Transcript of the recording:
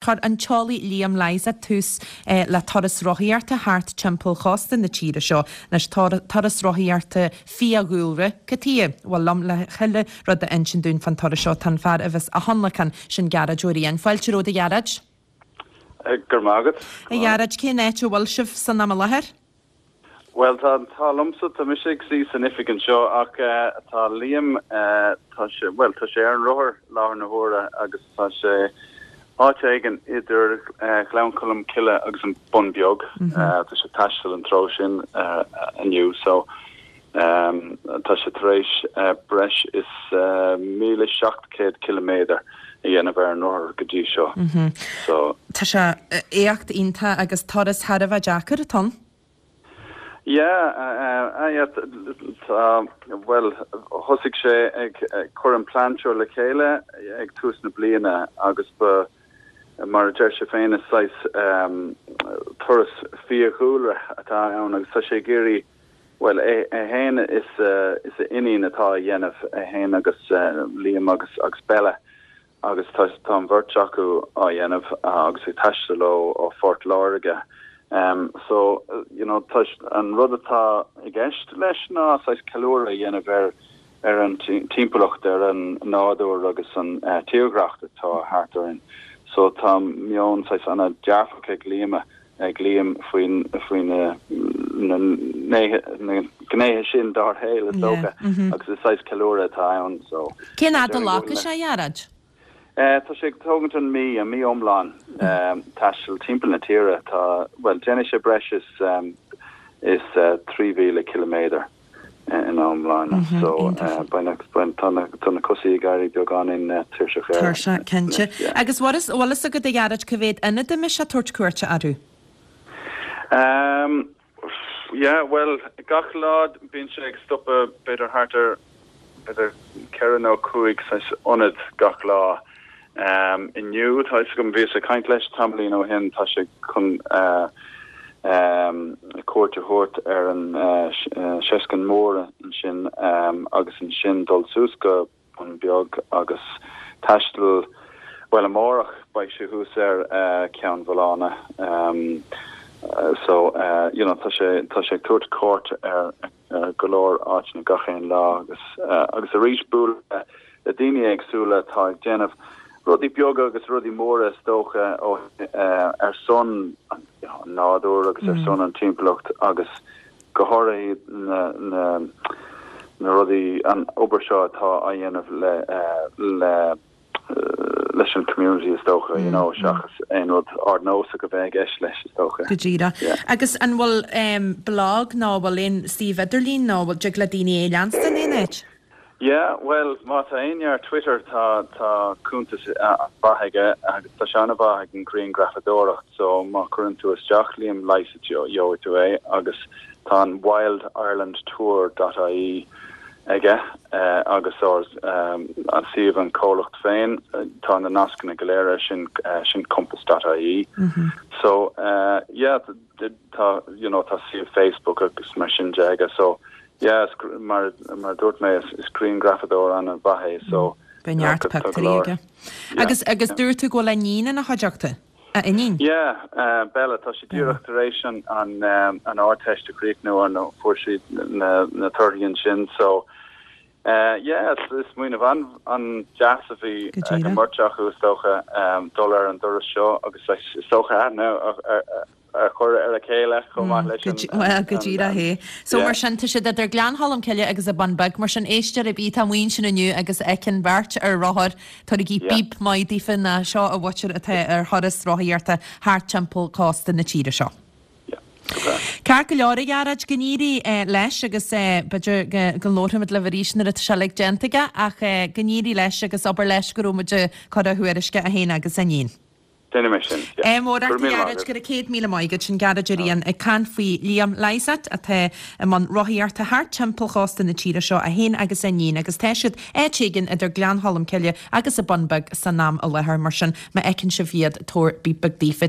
Chuir an t-eolaí Liam Lysaght tús le turas rothaíochta thart timpeall chósta na tíre seo. Anois, turas rothaíochta fiadhúlra, cad chuige? Bhuel, liom le chuile rud a insint dúinn fán turas seo tá an fear a bheas á thionlacan, sin Gearóid Ó Riain. Fáilte romhat, a Ghearóid. Go raibh maith agat. A Ghearóid, cén áit a bhfuil sibh san am i láthair? Bhuel, tá an t-ádh liomsa, tá mise ag suí san oifig anseo ach tá Liam, tá sé, bhuel, tá sé ar an rothar i láthair na huaire agus tá sé áit éigin idir Ghleann Cholm Cille agus an Bun Beag. Tá sé ag taisteal an treo sin inniu so tá sé tar éis breis is 1,700 ciliméadar a dhéanamh ar an rothar go dtí seo. So. Tá sé éacht iontach agus turas thar a bheith deacair atá ann. Yeah, yeah, tá, bhuel, thosaigh sé ag cur an plean seo le chéile ag tús na bliana agus ba, mar a deir sé féin, is saghas turas fiadhúlra atá ann agus tá sé ag iarraidh, bhuel, é féin is a iníon atá á dhéanamh, é féin agus Liam agus agus Bella. agus tá tá an bheirt acu á dhéanamh agus ag taisteal ó ó Phort Láirge. So, you know, tá an rud atá i gceist leis ná saghas ceiliúradh a dhéanamh ar ar an timpeallacht, ar an nádúr agus an tírdhreach atá thart orainn. So tá meon saghas an-dearfach ag Liam ag Liam faoin faoi na na na gnéithe sin dár shaol is dócha agus is saghas ceiliúradh atá ann so. Cén fhad a ghlacfaidh sé, a Ghearóid? Tá sé ag tógaint an mí, an mí iomlán taisteal timpeall na tíre. Tá, bhuel, déanfaidh sé breis is is 3,000 ciliméadar. ina iomláine. So, beidh na, tá na, tá na cosaí ag éirí beagáinín tuirseach air. Tuirseach, cinnte. Agus bhfuil a fhios agat, a Ghearóid, cá mhéad ionad a mbeidh sé ag tabhairt cuairte orthu? Um, yeah, bhuel, gach lá bíonn sé ag stopadh b'fhéidir thart ar, b'fhéidir ceithre nó cúig saghas ionad gach lá. Inniu, tá fhios agam, bhíos ag caint leis tamaillín ó shin, tá sé chun cuairt a thabhairt ar an Seisceann Mór ansin agus ansin dul suas go Bun Beag agus taisteal, bhuel amárach beidh sé thuas ar Cheann Mhaolána. So, you know, tá sé, tá sé ag tabhairt cuairt ar. go leor áiteanna gach aon lá agus agus arís bualadh le daoine éagsúla atá ag déanamh rudaí beaga agus rudaí móra is dócha ó ar son an nádúr agus ar son an timpeallacht agus go háirithe na na na rudaí an obair seo atá á dhéanamh le le leis an community is dócha, you know, seachas aon rud ardnósach a bheith i gceist leis is dócha. Go díreach. Yeah. Agus an bhfuil blog nó an bhfuil aon suíomh idirlín nó an bhfuil dtig le daoine é a leanstan aon áit? Yeah, bhuel, má tá éinne ar Twitter tá tá cuntas an-mhaith aige agus tá sé an-mhaith ag an ghrianghrafadóireacht so má chuireann tú isteach Liam Lysaght gheobhaidh tú é agus tá an wildirelandtour dot ie aige agus ár an suíomh an comhlacht féin tá na nascanna go léir air sin sin compass dot ie so yeah tá you know tá suíomh Facebook agus mar sin de aige so yeah is mar mar a dúirt mé is is grianghrafadóir an-mhaith é so Beidh neart pictiúirí aige. Agus agus dúirt tú go bhfuil a iníon ina chuideachta? A iníon? Yeah, Bella, tá sí díreach tar éis an an Ardteist a chríochnú nó fuair sí na na torthaí ansin so yeah, is smaoineamh an an-deas a bhí ag an mbeirt acu is dócha dul ar an dturas seo agus is dócha aithne a chur ar a chéile chomh maith leis an Bhuel, go díreach é. So mar sin, tá siad idir Gleann Cholm Cille agus an Bun Beag. Mar sin, éisteoir ar bith atá amuigh ansin inniu agus a fheiceann beirt ar rothar, tabhairigí bíp maith daofa nó seo an mhuintir atá ar thuras rothaíochta thart timpeall cósta na tíre seo. Ceart go leor, a Ghearóid, go n-éirí leis agus b'fhéidir go labharfaimid libh arís nuair atá sé uilig déanta aige ach go n-éirí leis agus abair leis go raibh muid ag cur a thuairisce é féin agus a iníon. Déanfaidh mé sin, yeah. Ádh mór ort, a Ghearóid, go raibh 100,000 maith agat. Sin Gearóid Ó Riain ag caint faoi Liam Lysaght atá i mbun rothaíochta thart timpeall chósta na tíre seo, é féin agus a iníon, agus tá siad áit éigin idir Gleann Cholm Cille agus an Bun Beag san am i láthair. Mar sin, má fheiceann sibh iad, tabhair bíp beag daofa.